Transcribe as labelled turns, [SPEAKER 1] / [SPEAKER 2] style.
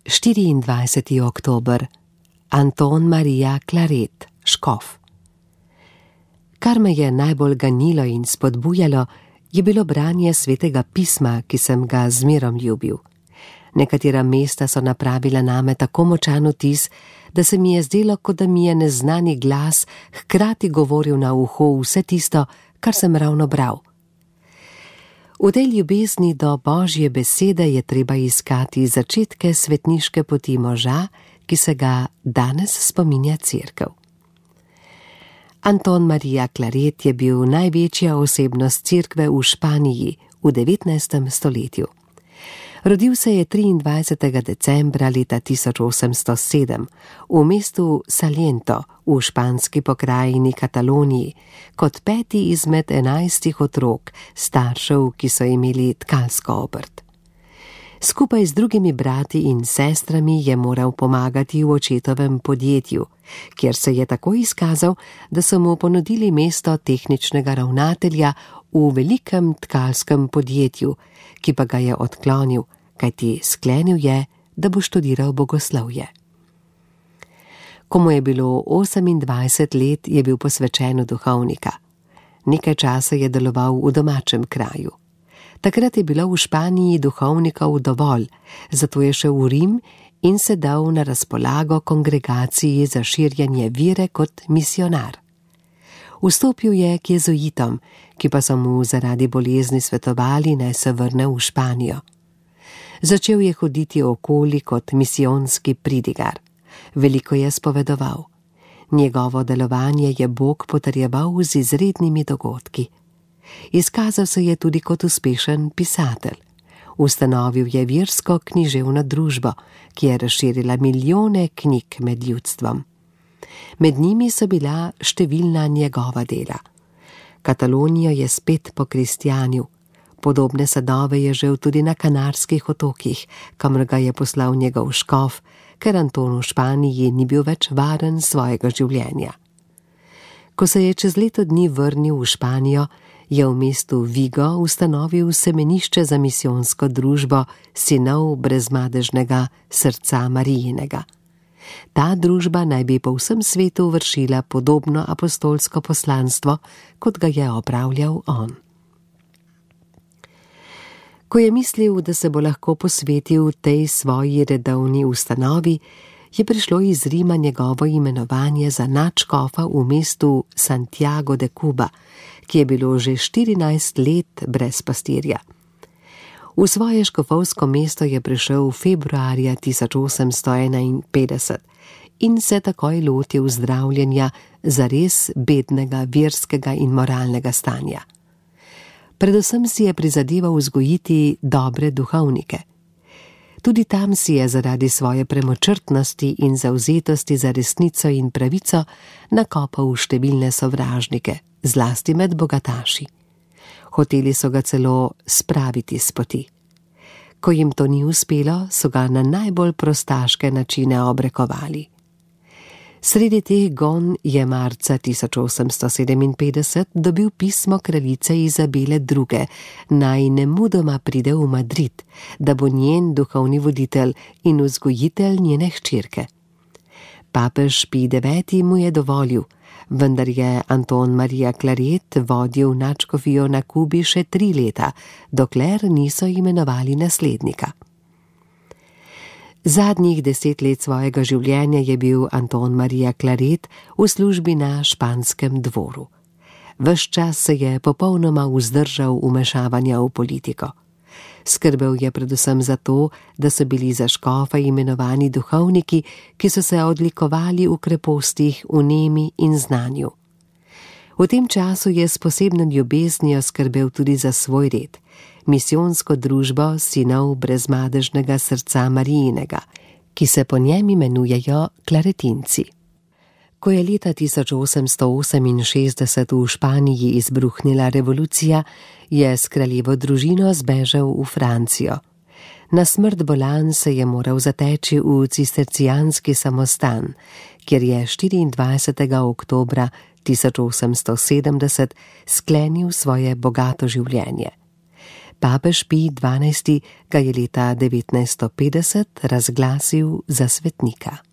[SPEAKER 1] 24. oktober. Anton Marija Claret, škof. Kar me je najbolj ganilo in spodbujalo, je bilo branje Svetega pisma, ki sem ga zmerom ljubil. Nekatera mesta so napravila name tako močan vtis, da se mi je zdelo, kot da mi je neznani glas hkrati govoril na uho vse tisto, kar sem ravno bral. V tej ljubezni do Božje besede je treba iskati začetke svetniške poti moža, ki se ga danes spominja Cerkev. Anton Marija Claret je bil največja osebnost Cerkve v Španiji v 19. stoletju. Rodil se je 23. decembra leta 1807 v mestu Saliento v španski pokrajini Kataloniji kot 5. izmed 11 otrok staršev, ki so imeli tkalsko obrt. Skupaj z drugimi brati in sestrami je moral pomagati v očetovem podjetju, kjer se je tako izkazal, da so mu ponudili mesto tehničnega ravnatelja v velikem tkalskem podjetju, ki pa ga je odklonil, kajti sklenil je, da bo študiral bogoslovje. Ko mu je bilo 28 let, je bil posvečen v duhovnika. Nekaj časa je deloval v domačem kraju. Takrat je bilo v Španiji duhovnikov dovolj, zato je šel v Rim in se dal na razpolago kongregaciji za širjenje vere kot misionar. Vstopil je k jezuitom, ki pa so mu zaradi bolezni svetovali, naj se vrne v Španijo. Začel je hoditi okoli kot misijonski pridigar. Veliko je spovedoval. Njegovo delovanje je Bog potrjeval z izrednimi dogodki. Izkazal se je tudi kot uspešen pisatelj. Ustanovil je versko književno družbo, ki je razširila milijone knjig med ljudstvom. Med njimi so bila številna njegova dela. Katalonijo je spet pokristjanil. Podobne sadove je žel tudi na Kanarskih otokih, kamor ga je poslal njegov škof, ker Anton v Španiji ni bil več varen svojega življenja. Ko se je čez leto dni vrnil v Španijo, je v mestu Vigo ustanovil semenišče za misijonsko družbo Sinov brezmadežnega srca Marijinega. Ta družba naj bi po vsem svetu vršila podobno apostolsko poslanstvo, kot ga je opravljal on. Ko je mislil, da se bo lahko posvetil tej svoji redovni ustanovi, je prišlo iz Rima njegovo imenovanje za nadškofa v mestu Santiago de Cuba, ki je bilo že 14 let brez pastirja. V svoje škofovsko mesto je prišel februarja 1851 in se takoj lotil zdravljenja zares bednega verskega in moralnega stanja. Predvsem si je prizadeval vzgojiti dobre duhovnike. Tudi tam si je zaradi svoje premočrtnosti in zavzetosti za resnico in pravico nakopal številne sovražnike, zlasti med bogataši. Hoteli so ga celo spraviti s poti. Ko jim to ni uspelo, so ga na najbolj prostaške načine obrekovali. Sredi teh gon je marca 1857 dobil pismo kraljice Izabele II, naj nemudoma pride v Madrid, da bo njen duhovni voditelj in vzgojitelj njene hčerke. Papež Pij IX mu je dovolil, vendar je Anton Marija Claret vodil nadškofijo na Kubi še 3 leta, dokler niso imenovali naslednika. Zadnjih 10 let svojega življenja je bil Anton Marija Claret v službi na španskem dvoru. Ves čas se je popolnoma vzdržal vmešavanja v politiko. Skrbel je predvsem za to, da so bili za škofa imenovani duhovniki, ki so se odlikovali v krepostih, vnemi in znanju. V tem času je s posebno ljubeznijo skrbel tudi za svoj red, misijonsko družbo Sinov brezmadežnega srca Marijinega, ki se po njem imenujejo klaretinci. Ko je leta 1868 v Španiji izbruhnila revolucija, je s kraljevo družino zbežal v Francijo. Na smrt bolan se je moral zateči v cistercijanski samostan, kjer je 24. oktobra 1870 sklenil svoje bogato življenje. Papež Pij XII. Ga je leta 1950 razglasil za svetnika.